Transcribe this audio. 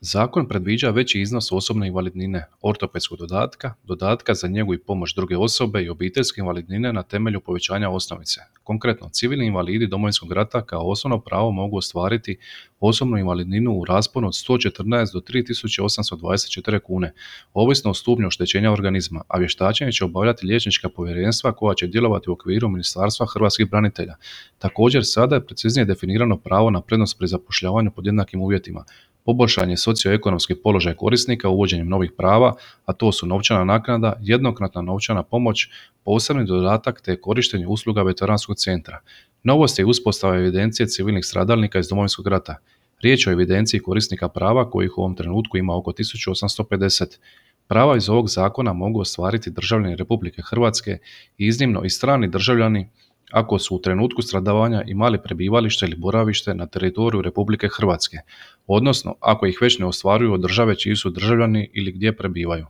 Zakon predviđa veći iznos osobne invalidnine, ortopedskog dodatka, dodatka za njegu i pomoć druge osobe i obiteljske invalidnine na temelju povećanja osnovice. Konkretno, civilni invalidi Domovinskog rata kao osnovno pravo mogu ostvariti osobnu invalidninu u rasponu od 114 do 3824 kune, ovisno o stupnju oštećenja organizma, a vještačenje će obavljati liječnička povjerenstva koja će djelovati u okviru Ministarstva hrvatskih branitelja. Također, sada je preciznije definirano pravo na prednost pri zapošljavanju pod jednakim uvjetima. Poboljšan je socioekonomski položaj korisnika uvođenjem novih prava, a to su novčana naknada, jednokratna novčana pomoć, posebni dodatak te korištenje usluga veteranskog centra. Novost je uspostava evidencije civilnih stradalnika iz Domovinskog rata. Riječ je o evidenciji korisnika prava kojih u ovom trenutku ima oko 1850. Prava iz ovog zakona mogu ostvariti državljani Republike Hrvatske i iznimno i strani državljani ako su u trenutku stradavanja imali prebivalište ili boravište na teritoriju Republike Hrvatske, odnosno ako ih već ne ostvaruju od države čiji su državljani ili gdje prebivaju.